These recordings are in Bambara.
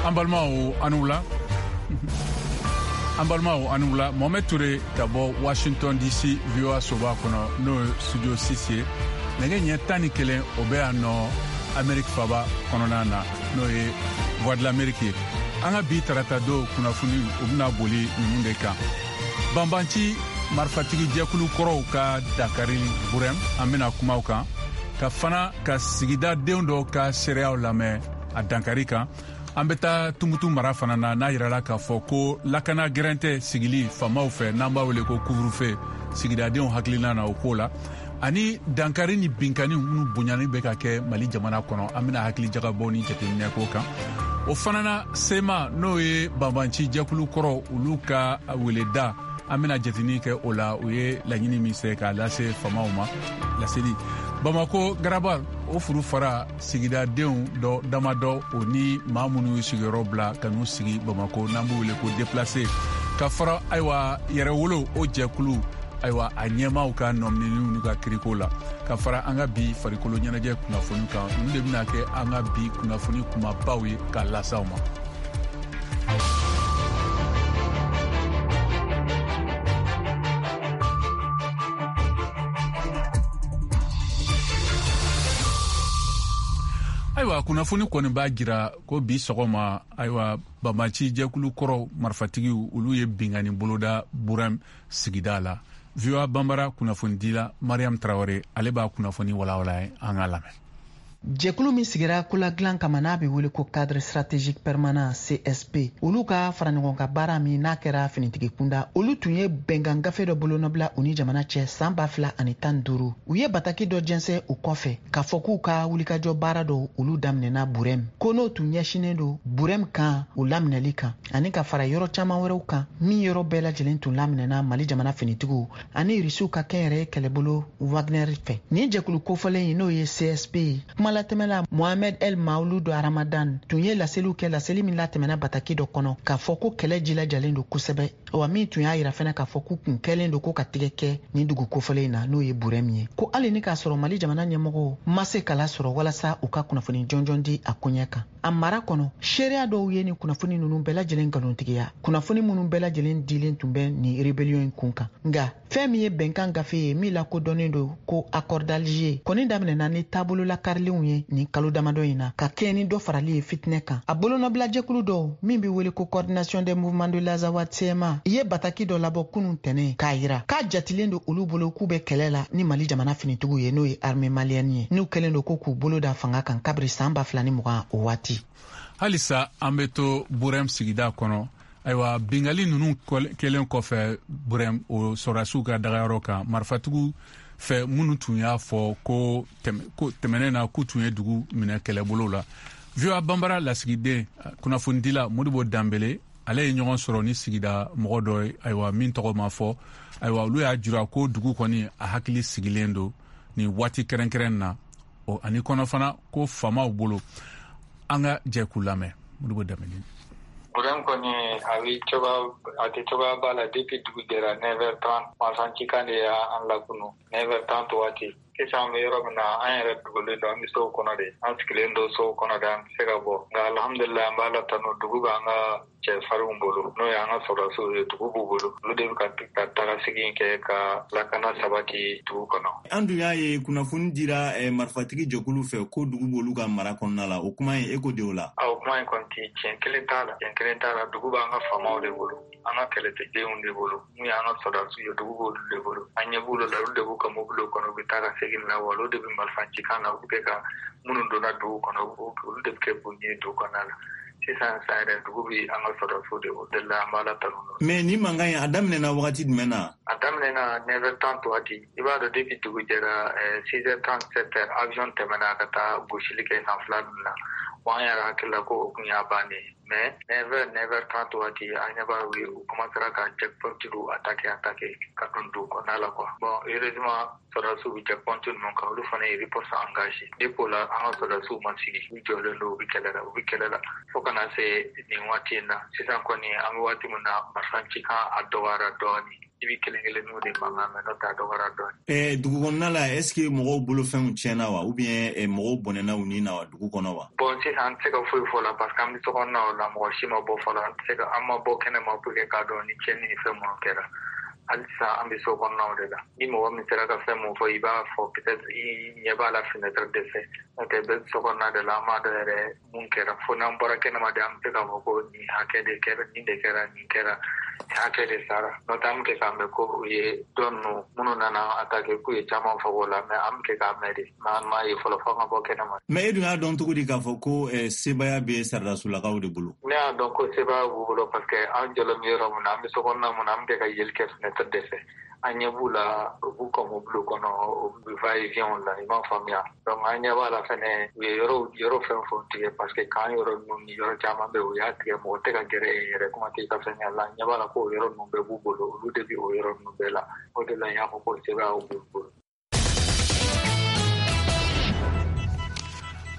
An balimaw, aw ni wula. An balimaw, aw ni wula. Mohamed Toure ka bɔ Washington DC, VOA soba kɔnɔ, n'o ye studio 6 ye. Nɛgɛ ɲɛ 11, o bɛ yan nɔ Amerique faba kɔnɔna na, n'o ye Voix de l'Amérique ye. An ka bi tarata don kunnafoni, o bɛna boli ninnu de kan: banbanci marifatigi jɛkulu kɔrɔw ka dankari Burɛm, an bɛna kuma o kan, ka fana ka sigida denw dɔw ka seereyaw lamɛn a dankari kan. An bɛ taa Tumutu mara fana na, n'a yirala k'a fɔ ko lakana gɛrɛntɛ sigili faamaw fɛ, n'an b'a wele ko couvre-feu, sigidadenw hakilina na o ko la, ani dankari ni binkani minnu bonyani bɛ ka kɛ Mali jamana kɔnɔ, an bɛna hakili jagabɔ ni jateminɛ k'o kan. O fana na, CMA, n'o ye banbanci jɛkulu kɔrɔ, olu ka weleda, an bɛna jatini kɛ o la, u ye laɲini min se k'a lase faamaw ma. Laseli Bamako Garaba, o furu fara sigidadenw dɔ damadɔ, o ni maa minnu y'u sigiyɔrɔ bila ka n'u sigi Bamako, n'an b'u wele ko déplacé, ka fara ayiwa yɛrɛwolo o jɛkulu, ayiwa a ɲɛmaaw ka nɔminɛniw n'u ka kiriko la, ka fara an ka bi farikolo ɲɛnajɛ kunnafoni kan. Ninnu de bɛna kɛ an ka bi kunnafoni kumabaw ye k'a lase aw ma. Ayiwa, kunnafoni kɔni b'a jira ko bi sɔgɔma, ayiwa, banbanci jɛkulu kɔrɔ marifatigiw, olu ye binkanni boloda Burɛm sigida la. VOA Banbara kunnafonidila Mariam Tarawele, ale b'a kunnafoni walawala ye, an k'a lamɛn. Jɛkulu min sigira koladilan kama, n'a bɛ wele ko Cadre stratégique permanent, CSP, olu ka fara ɲɔgɔn kan baara min n'a kɛra finitigi kunda, olu tun ye bɛnkan gafe dɔ bolonɔbila u ni jamana cɛ san 2015. U ye bataki dɔ jɛnsɛn o kɔfɛ k'a fɔ k'u ka wulikajɔ baara dɔw, olu daminɛna Burɛm, ko n'o tun ɲɛsinnen don Burɛm kan o laminɛli kan, ani ka fara yɔrɔ caman wɛrɛw kan min yɔrɔ bɛɛ lajɛlen tun laminɛna Mali jamana finitigiw ani Irisiw ka kɛnyɛrɛye kɛlɛbolo Wagner fɛ. Nin jɛkulu kofɔlen in, n'o ye CSP ye, kumalatɛmɛla Mohamed El Maouloud Ramadan tun ye laseliw kɛ, laseli min latɛmɛna bataki dɔ kɔnɔ, k'a fɔ ko kɛlɛ jilajalen don kosɛbɛ, wa min tun y'a yira fɛnɛ k'a fɔ k'u kun kɛlen don ko ka tigɛ kɛ nin dugu kofɔlen in na, n'o ye Burɛm ye, ko hali ni k'a sɔrɔ Mali jamana ɲɛmɔgɔw ma se kala sɔrɔ walasa u ka kunnafoni jɔnjɔn di a koɲɛ kan. A mara kɔnɔ, seereya dɔw ye nin kunnafoni ninnu bɛɛ lajɛlen nkalontigiya, kunnafoni minnu bɛɛ lajɛlen dilen tun bɛ nin rébellion in kun kan. Nka fɛn min ye bɛnkan gafe ye min lakodɔnnen don ko Accord d'Alger, kɔni daminɛna ni taabolo lakarilenw ye nin kalo damadɔ in na, ka kɛɲɛ ni dɔ farali ye fitinɛ kan. A bolonɔbilajɛkulu dɔw min bɛ wele ko Coordination des mouvements de l'Azawad, CMA, ye bataki dɔ labɔ kunun tɛnɛ, k'a yira k'a jatilen don olu bolo k'u bɛ kɛlɛ la ni Mali jamana finitigiw ye, n'o ye armée malienne ye, n'u kɛlen don ko k'u bolo da fanga kan kabiri san 2020 o waati. Halisa an bɛ to Burɛm sigida kɔnɔ. Ayiwa, bingali ninnu kɛlen kɔfɛ Burɛm, o sɔrɔdasiw ka dagayɔrɔ kan marifatigiw fɛ, minnu tun y'a fɔ ko tɛmɛnen na k'u tun ye dugu minɛ kɛlɛbolo la, VOA Banbara lasigiden kunnafonidila Modibo Danbele, ale ye ɲɔgɔn sɔrɔ ni sigida mɔgɔ dɔ ye, ayiwa, min tɔgɔ ma fɔ. Ayiwa, olu y'a jira ko dugu kɔni, a hakili sigilen don nin waati kɛrɛnkɛrɛn na, ani kɔnɔ fana ko faamaw bolo. An ka jɛ k'u lamɛn. Modibo Danbele. Burɛm kɔni, a bɛ cogoya, a tɛ cogoya ba la. Depuis dugu jɛra, 9h30, marifacikan de y'an lakunu, 9h30 waati. Sisan an bɛ yɔrɔ min na, an yɛrɛ dogolen don, an bɛ sow kɔnɔ de, an sigilen don sow kɔnɔ de, an tɛ se ka bɔ. Nka alhamdulilayi, an b'Ala tanu, dugu b'an ka cɛfarinw bolo, n'o ye an ka sɔrɔdasiw ye. Dugu b'u bolo, olu de bɛ ka taga segin kɛ ka lakana sabati dugu kɔnɔ. An dun y'a ye kunnafoni dira marifatigi jɛkulu fɛ ko dugu b'olu ka mara kɔnɔna la. O kuma in, e ko de o la? O kuma in kɔni ti tiɲɛ kelen t'a la, tiɲɛ kelen t'a la. Dugu b'an ka faamaw de bolo, an ka kɛlɛdenw de bolo, mun y'an ka sɔrɔdasiw ye, dugu b'olu de bolo. An ɲɛ b'olu la, olu de b'u ka mobiliw kɔnɔ, u bɛ taa ka segin na, wa olu de bɛ marifa cikan na, u bɛ kɛ ka minnu donna dugu kɔnɔ, olu de bɛ kɛ k'u ɲini dugu kɔnɔna la. Sisan san yɛrɛ, dugu bɛ an ka sɔrɔdasiw de bolo de la, an b'Ala tanu. Mais ni mankan in, a daminɛna wagati jumɛn na? A daminɛna 9h30 waati. I b'a dɔn, depuis dugu jɛra, 6h30, 7h, avion tɛmɛna ka taa gosili kɛ san fila ninnu na. Wa an yɛrɛ hakili la ko o kun y'a bannen ye, mais 9h, 9h30 waati, an ɲɛ b'a u commencera ka checkpoint dɔw attaquer, attaquer ka don dugu kɔnɔna la quoi. Bon, heureusement, sɔrɔdasiw bɛ checkpoint ninnu kan, olu fana ye riposte engagé. Depuis o la, an ka sɔrɔdasiw ma sigi, u jɔlen don, u bɛ kɛlɛ la, u bɛ kɛlɛ la fo ka na se nin waati in na. Sisan kɔni, an bɛ waati min na, marifa cikan a dɔgɔyara dɔɔnin. I bɛ kelen kelenninw de mankan mɛn, n'o tɛ a dɔgɔyara dɔɔnin. Dugu kɔnɔna la, est ce que mɔgɔw bolofɛnw tiɲɛna wa, ou bien mɔgɔw bɔnɛna u ni na wa dugu kɔnɔ wa? Bon, sisan an tɛ se ka foyi fɔ la, parce que an bɛ so kɔnɔna la, mɔgɔ si ma bɔ fɔlɔ. An tɛ se ka, an ma bɔ kɛnɛ ma pour que k'a dɔn ni tiɲɛni ni fɛn minnu kɛra. Halisa an bɛ so kɔnɔnaw de la. Ni mɔgɔ min sera ka fɛn mun fɔ, i b'a fɔ, peut-être i ɲɛ b'a la fenêtre de fɛ. N'o tɛ, bɛɛ bɛ so kɔnɔna de la, an m'a dɔn yɛrɛ mun kɛra. Fo n'an bɔra kɛnɛma de, an bɛ se k'a fɔ ko nin hakɛ de kɛra, nin de kɛra, nin kɛra, nin hakɛ de sara. N'o tɛ, an bɛ kɛ k'a mɛn ko u ye dɔ ninnu minnu nana attaquer, k'u ye caman faga o la, mais an bɛ kɛ k'a mɛn de, mais an m'a ye fɔlɔ, fo an ka bɔ kɛnɛma. Mais e dun y'a dɔn cogo di k'a fɔ ko sebaaya bɛ sɔrɔdasolakaw de bolo? Ne y'a dɔn ko sebaaya b'u bolo parce que an jɔlen bɛ yɔrɔ min na, an bɛ so kɔnɔna mun na, an bɛ kɛ ka yeli kɛ fenêtre de fɛ. An ɲɛ b'u la, u b'u ka mobili kɔnɔ, u bɛ va et vient la, i m'a faamuya. Donc an ɲɛ b'a la fɛnɛ, u ye yɔrɔ fɛn fɛn tigɛ, parce que kan yɔrɔ ninnu ni yɔrɔ caman bɛ, u y'a tigɛ, mɔgɔ tɛ ka gɛrɛ yen yɛrɛ, kuma tɛ i ka fɛn ɲɛ la. An ɲɛ b'a la ko o yɔrɔ ninnu bɛɛ b'u bolo, olu de bɛ o yɔrɔ ninnu bɛɛ la. O de la n y'a fɔ ko sebaaya b'u bolo.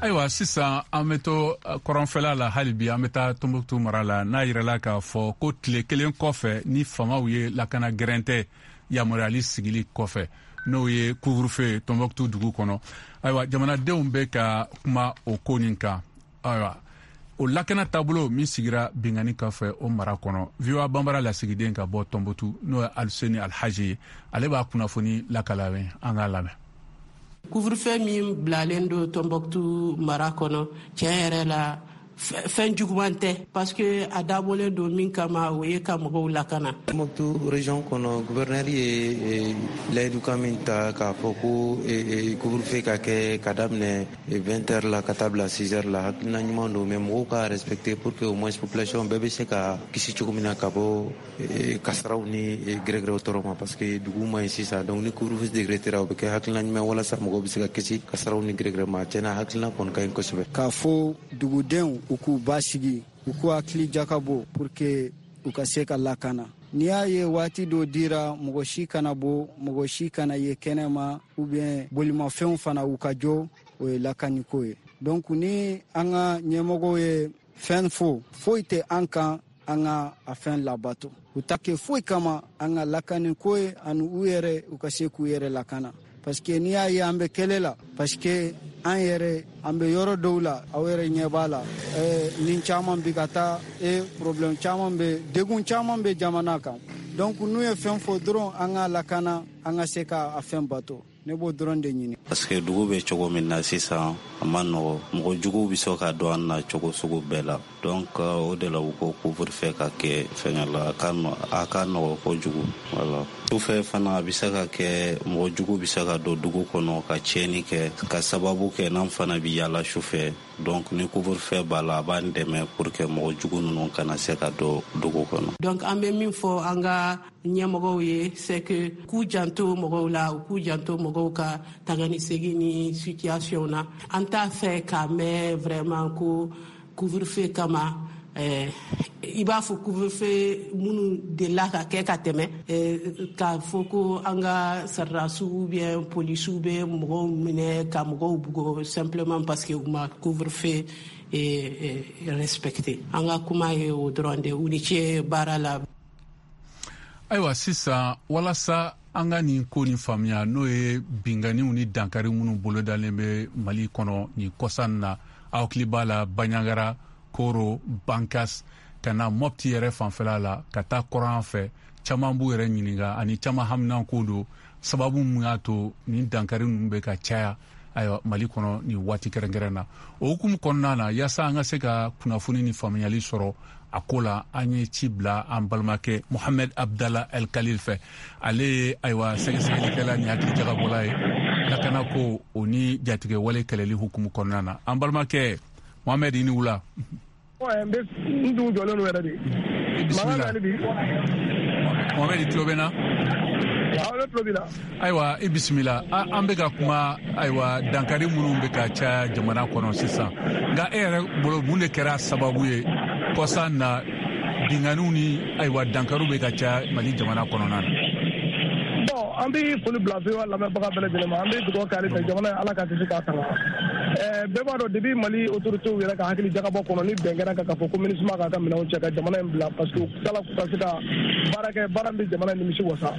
Ayiwa, sisan an bɛ to kɔrɔnfɛla la hali bi, an bɛ taa Tombouctou mara la, n'a yirala k'a fɔ ko tile kelen kɔfɛ ni famaw ye lakana gɛrɛntɛ yamaruyali sigili kɔfɛ, n'o ye couvre-feu Tombouctou dugu kɔnɔ. Ayiwa, jamanadenw bɛ ka kuma o ko nin kan. Ayiwa, o lakana taabolo min sigira binkanni kɔfɛ o mara kɔnɔ, VOA Banbara lasigiden ka bɔ Tombouctou, n'o ye Aluseni Alhaji ye, ale b'a kunnafoni lakala, an k'a lamɛn. Couvre-feu min bilalen don Tombouctou mara kɔnɔ, tiɲɛ yɛrɛ la, fɛn juguman tɛ, parce que a dabɔlen don min kama, o ye ka mɔgɔw lakana. Tombouctou région kɔnɔ, gouverneur ye layidukan min ta k'a fɔ ko couvre-feu ka kɛ ka daminɛ 20 heures la ka taa bila 6 heures la, hakilina ɲuman don, mais mɔgɔw ka respecter pour que au moins population bɛɛ bɛ se ka kisi cogo min na ka bɔ kasaraw ni gɛrɛgɛrɛw tɔɔrɔ ma, parce que dugu man ɲi sisan. Donc ni couvre-feu décrétera, o bɛ kɛ hakilina ɲuman walasa mɔgɔw bɛ se ka kisi kasaraw ni gɛrɛgɛrɛ ma. Tiɲɛna, hakilina kɔni ka ɲi kosɛbɛ. K'a fɔ dugudenw u k'u basigi, u k'u hakili jakabɔ pour que u ka se ka lakana. N'i y'a ye waati dɔ dira, mɔgɔ si kana bɔ, mɔgɔ si kana ye kɛnɛma, ou bien bolimafɛnw fana u ka jɔ, o ye lakaniko ye. Donc ni an ka ɲɛmɔgɔw ye fɛn fɔ, foyi tɛ an kan an ka a fɛn labato. U ta kɛ foyi kama an ka lakaniko ye, ani u yɛrɛ u ka se k'u yɛrɛ lakana, parce que n'i y'a ye an bɛ kɛlɛ la, parce que an yɛrɛ an bɛ yɔrɔ dɔw la, aw yɛrɛ ɲɛ b'a la, nin caman bi ka taa, problème caman bɛ, degun caman bɛ jamana kan. Donc n'u ye fɛn fɔ dɔrɔn, an ka lakana, an ka se ka a fɛn bato. Ne b'o dɔrɔn de ɲini. Parce que dugu bɛ cogo min na sisan, a ma nɔgɔ, mɔgɔ juguw bɛ se ka don an na cogo sugu bɛɛ la. Donc o de la u ko couvre-feu ka kɛ fɛngɛ la, a ka nɔgɔ kojugu. Voilà, sufɛ fana a bɛ se ka kɛ mɔgɔ jugu bɛ se ka don dugu kɔnɔ ka tiɲɛni kɛ, ka sababu kɛ n'an fana bɛ yaala sufɛ. Donc ni couvre-feu b'a la, a b'an dɛmɛ pour que mɔgɔ jugu ninnu kana se ka don dugu kɔnɔ. Donc an bɛ min fɔ an ka ɲɛmɔgɔw ye, c'est que k'u janto mɔgɔw la, u k'u janto mɔgɔw ka tagani segin ni situation na. An t'a fɛ k'a mɛn vraiment ko couvre-feu kama, i b'a fɔ couvre-feu minnu delila ka kɛ ka tɛmɛ, k'a fɔ ko an ka sɔrɔdasiw ou bien polisiw bɛ mɔgɔw minɛ ka mɔgɔw bugɔ simplement parce que u ma couvre-feu respecté. An ka kuma ye o dɔrɔn de. U ni ce baara la. Ayiwa, sisan walasa an ka nin ko nin faamuya, n'o ye binganiw ni dankari minnu bolodalen bɛ Mali kɔnɔ nin kɔsa in na, aw hakili b'a la Bandiagara, Koro, Bankas, ka na Mopti yɛrɛ fanfɛla la, ka taa kɔrɔn fɛ, caman b'u yɛrɛ ɲininka ani caman haminanko don sababu mun y'a to nin dankari ninnu bɛ ka caya, ayiwa, Mali kɔnɔ nin waati kɛrɛnkɛrɛn na. O hukumu kɔnɔna na, yaasa an ka se ka kunnafoni ni faamuyali sɔrɔ a ko la, an ye ci bila an balimakɛ Mohamed Abdallah El Khalil fɛ. Ale ye, ayiwa, sɛgɛsɛgɛlikɛla ni hakili jagabɔla ye lakanako o ni jatigɛwale kɛlɛli hukumu kɔnɔna na. An balimakɛ Mohamed, i ni wula. N bɛ n dun jɔlen don yɛrɛ de. Bisimila Mohamed, i tulo bɛ n na? Awɔ, ne tulo b'i la. Ayiwa, i bisimila. An bɛ ka kuma, ayiwa, dankari minnu bɛ ka caya jamana kɔnɔ sisan, nka e yɛrɛ bolo, mun de kɛra sababu ye kɔsa na binganiw ni, ayiwa, dankariw bɛ ka caya Mali jamana kɔnɔna na? Bon, an bɛ foli bila VOA lamɛnbaga bɛɛ lajɛlen ma. An bɛ dugawu kɛ hali bi jamana ye, Ala ka kisi k'a tanga. Bɛɛ b'a dɔn, depuis Mali autorités yɛrɛ ka hakili jagabɔ kɔnɔ ni bɛn kɛra kan k'a fɔ ko MINUSMA k'a ka minɛnw cɛ ka jamana in bila, parce que u tilala k'u ka se ka baara kɛ, baara min bɛ jamana nimisi wasa.